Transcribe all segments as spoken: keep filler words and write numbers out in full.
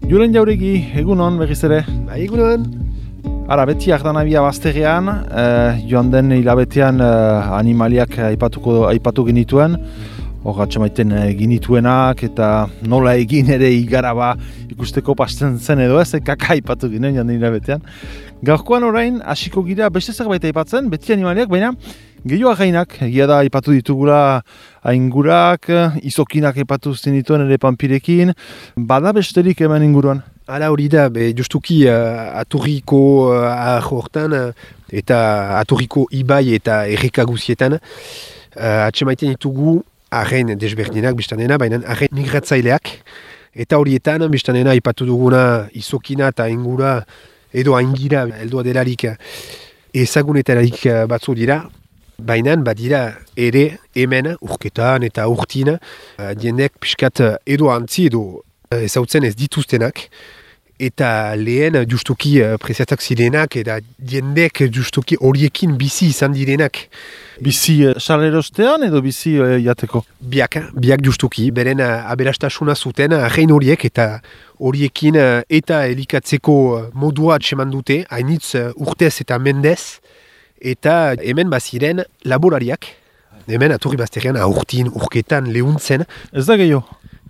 Julen Jauregi, egunon berriz ere. Ba, egunon. Ara, beti ardanabia bazterrean, eh, joan den hilabetean eh, animaliak aipatuko, aipatu genituen, hor atxamaiten eh, ginituenak eta nola egin ere igaraba ikusteko pasten zen edo ez, kaka aipatu ginen joan den hilabetean. Gaurkoan orain, hasiko gira beste zerbait aipatzen, beti animaliak, baina gehiago gainak, egia da aipatu ditugula aingurak, izokinak aipatu zenituen ere panpirekin, bada besterik hemen inguruan. Hala hori da, be, justuki uh, aturriko uh, ahortan uh, eta aturriko ibai eta erreka guzietan uh, atxemaiten ditugu arren desberdinak biztanena, baina arren migratzaileak eta horietan biztanena aipatu duguna izokina eta ingura edo aingira heldua delarik ezagunetararik batzu dira. Baina badira ere hemen urketan eta urtin uh, jendek pixkat edo antzi edo ezautzen ez dituztenak, eta lehen justuki uh, preziatak zirenak, eta jendek justuki horiekin bizi izan direnak. Bizi uh, salerostean edo bizi uh, jateko? Biak, biak justuki, beren uh, aberastasuna zuten arrein horiek, eta horiekin uh, eta elikatzeko uh, modua atseman dute, hainitz uh, urtez eta mendez, eta hemen baziren laborariak, hemen aturri bazterrean aurtin, urketan, lehuntzen. Ez da gehiago?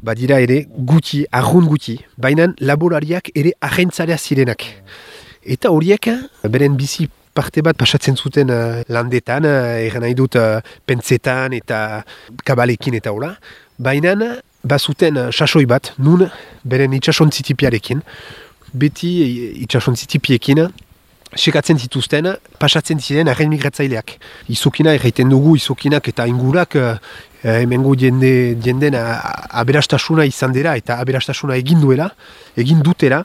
Badira ere guti, arrun guti, baina laborariak ere agentzarea zirenak. Eta horiek, beren bizi parte bat pasatzen zuten uh, landetan, uh, eran nahi dut uh, pentsetan eta kabalekin eta hola, baina bazuten uh, sasoi bat, nun beren itxasontzitipiarekin, beti itxasontzitipiekin, sekatzen zituzten, pasatzen ziren arren migratzaileak. Izokina erraiten dugu, izokinak eta ingurak uh, hemengo jende, jenden aberastasuna izan dira eta aberastasuna egin duela, egin dutela,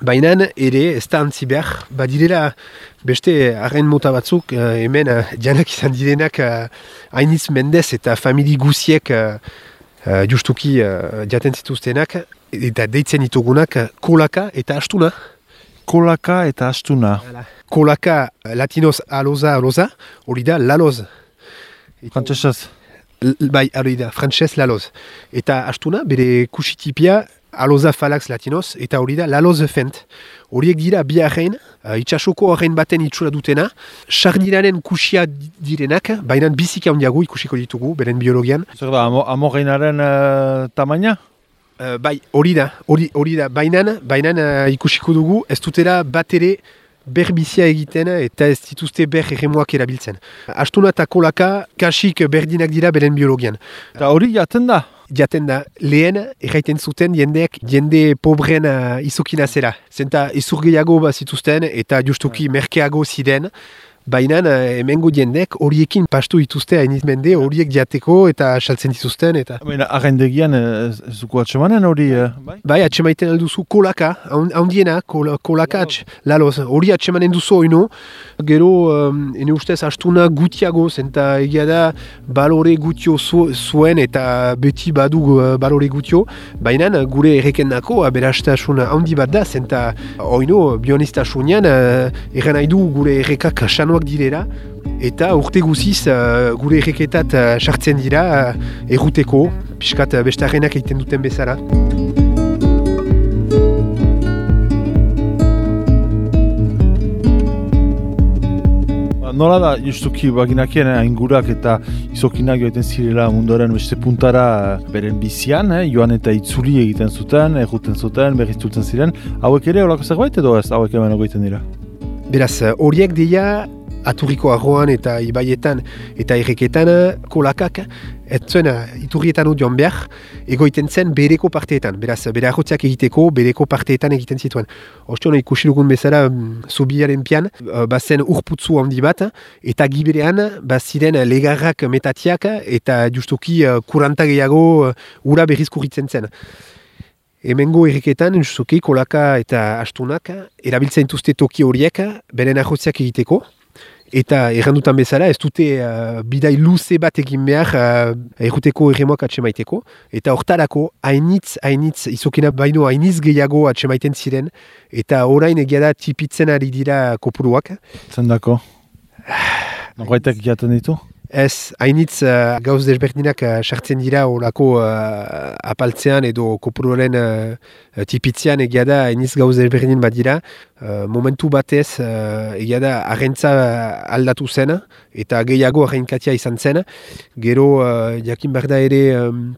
baina ere ez da antzi behar, badirela beste arren mota batzuk uh, hemen uh, janak izan direnak uh, hainiz mendez eta famili guziek uh, uh, justuki uh, jaten zituztenak eta deitzen ditugunak uh, kolaka eta astuna. Kolaka eta astuna. Kolaka latinoz aloza aloza, hori da laloz. Frantsesez. Bai, hori da, frantses laloz. Eta astuna, bere kusitipia aloza falax latinoz, eta hori da laloz fent. Horiek dira bi arrein, uh, itxasoko arrein baten itxura dutena, sardinaren kusia direnak, baina biziki handiago ikusiko ditugu, beren biologian. Zer da, amorreinaren uh, tamaina? Uh, bai, hori da, hori, hori da, bainan, bainan uh, ikusiko dugu, ez dutela bat ere berbizia egiten eta ez dituzte ber erremuak erabiltzen. Astuna eta kolaka kasik berdinak dira beren biologian. Eta hori jaten da? Jaten da, lehen erraiten zuten jendeek jende pobren uh, izokina zera. Zenta izur gehiago bat zituzten eta justuki merkeago ziren, baina hemengo jendek horiekin pastu dituzte hainiz mende, horiek jateko eta saltzen dituzten. Eta... Baina arrendegian ez dugu atxemanen hori? Eh? Bai, bai atxemaiten alduzu kolaka, handiena, kol, kolaka atx, laloz, hori atxemanen duzu oino, gero, um, ene ustez, astuna gutiago, zenta egia da balore gutio zu, zuen eta beti badu uh, balore gutio, baina gure errekendako aberastasun handi bat da, zenta oino bionistasunean uh, erran nahi du gure errekak sanoak direla, eta urte guziz uh, gure erreketat sartzen uh, dira uh, erruteko, piskat uh, bestarrenak egiten duten bezala. Nola da, justuki baginakien aingurak eta izokinak joaten zirela munduaren beste puntara beren bizian, eh? Joan eta itzuli egiten zuten, erruten zuten, berriztultzen ziren. Hauek ere horako zerbait edo ez hauek hemen ogoiten dira? Beraz, horiek dira aturriko arroan eta ibaietan eta erreketan kolakak ez zuen iturrietan joan behar egoiten zen bereko parteetan. Beraz, bere arrotziak egiteko bereko parteetan egiten zituen. Ostion ikusi dugun bezala zubiaren pian, bazen urputzu handi bat eta giberean baziren legarrak metatiak eta justuki kuranta gehiago ura berriz kurritzen zen. Hemengo erreketan, justuki kolaka eta astunak erabiltzen dituzte toki horiek beren arrotziak egiteko. Eta errandutan bezala, ez dute uh, bidai luze bat egin behar uh, erruteko erremoak atsemaiteko. Eta hortarako, hainitz, hainitz, izokena baino hainitz gehiago atsemaiten ziren. Eta orain egia da tipitzen ari dira kopuruak. Zendako? Norbaitek jaten ditu? Ez, hainitz uh, gauz desberdinak uh, sartzen dira olako uh, apaltzean edo kopuroren uh, tipitzean egia da hainitz gauz desberdin bat dira. Uh, momentu batez uh, egia da arrentza aldatu zen eta gehiago arrenkatia izan zen. Gero uh, jakin behar da ere um,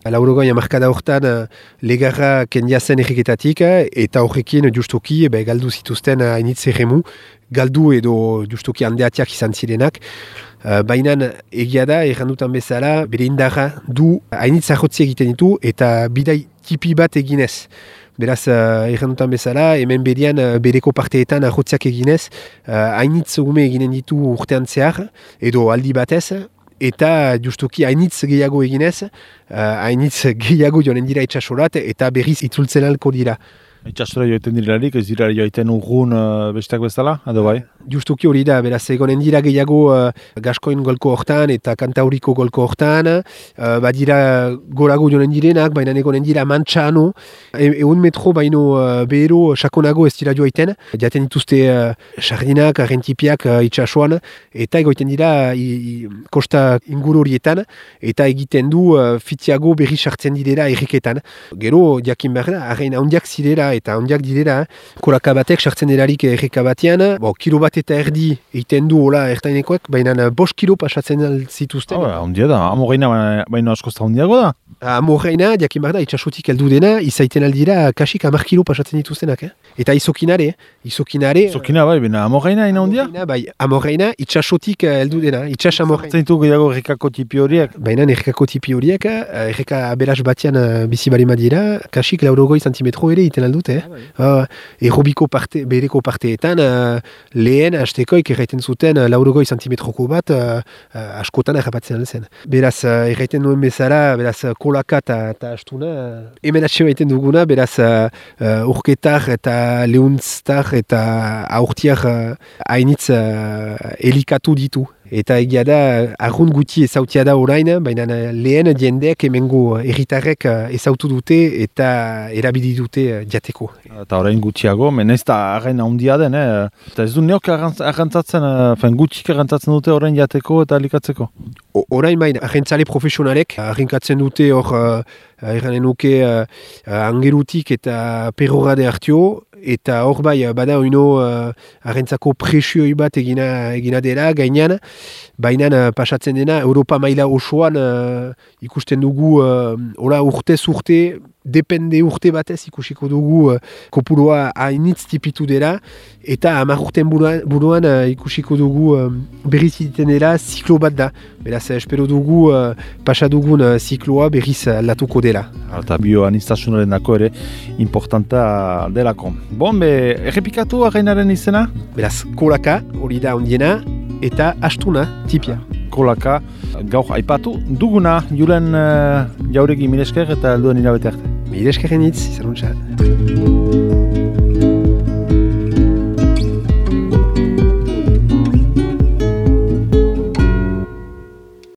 laurogoi hamarkada hortan uh, legarra kendia zen erriketatik eta horrekin justuki be, galdu zituzten hainitz erremu. Galdu edo justuki handeatiak izan zirenak. Uh, Baina egia da, errandutan bezala, bere indarra du hainitz ahotzi egiten ditu eta bidai tipi bat eginez. Beraz, uh, errandutan bezala, hemen berian uh, bereko parteetan ahotziak eginez, uh, hainitz ume eginen ditu urtean zehar, edo aldi batez, eta justuki hainitz gehiago eginez, uh, hainitz gehiago joanen dira itxasorat eta berriz itzultzen alko dira. Itxasora joiten direlarik, ez dira joiten urgun uh, besteak bezala, edo bai? Justuki hori da, beraz, egonen dira gehiago uh, Gaskoin golko hortan eta Kantauriko golko hortan, uh, badira gorago jonen direnak, baina egonen dira mantxano, e, egun metro baino uh, behero sakonago ez dira joaiten, jaten dituzte uh, sardinak, arrentipiak uh, itxasoan, eta egoiten dira i, i, kosta inguru horietan, eta egiten du uh, fitiago berri sartzen direla erriketan. Gero, jakin behar da, arrein handiak zirela, eta handiak direla, kolaka batek sartzen delarik erreka batean, bo, kilo bat eta erdi egiten du hola ertainekoek, baina bost kilo pasatzen zituzten. Oh, handia da, amorreina baina askozta handiago da. Amorreina, jakin behar da, itxasotik heldu dena, izaiten aldira kasik hamar kilo pasatzen dituztenak. Eh? Eta izokinare, izokinare... Izokina bai, baina amorreina ina handia? Bai, amorreina itxasotik heldu dena, itxas amorreina. Zaten ditu gehiago errekako tipi horiek? Baina errekako tipi horiek, erreka aberaz batean bizi balima dira, kasik laurogoi santimetro ere iten aldut. Eh? Uh, Errobiko parte, bereko parteetan uh, lehen hastekoik erraiten zuten uh, laurogoi santimetroko bat uh, uh, askotan errapatzen zen. Beraz, uh, erraiten duen bezala, beraz, kolaka eta astuna, uh, hemen atxe baiten duguna, beraz, uh, uh, urketar eta lehuntztar eta aurtiar uh, hainitz uh, elikatu ditu. Eta egia da, argun guti ezautia da orain, baina lehen jendeak hemengo herritarrek ezautu dute eta erabili dute jateko. Eta orain gutxiago, menez da arrain handia den, eh? Eta ez du neok arrantzatzen, fen gutxik arrantzatzen dute orain jateko eta alikatzeko? Orain baina, arrantzale profesionalek arrinkatzen dute hor, erranen nuke, angerutik eta perrorade hartio, eta hor bai, bada oino uh, arrentzako presioi bat egina, egina dela gainean, baina uh, pasatzen dena Europa maila osoan uh, ikusten dugu uh, ola urtez urte, depende urte batez ikusiko dugu uh, kopuroa hainitz tipitu dela, eta hamar urten buruan, buruan uh, ikusiko dugu uh, berriz egiten dela ziklo bat da. Beraz, espero dugu uh, pasa dugun uh, zikloa berriz aldatuko dela. Eta bioanistasunaren dako ere importanta delako. Bon, be, errepikatu arrainaren izena? Beraz, kolaka, hori da ondiena, eta astuna, tipia. Kolaka, gaur aipatu duguna, Julen uh, jauregi milesker eta helduen hilabete arte. Mileskerren hitz, izan untsa.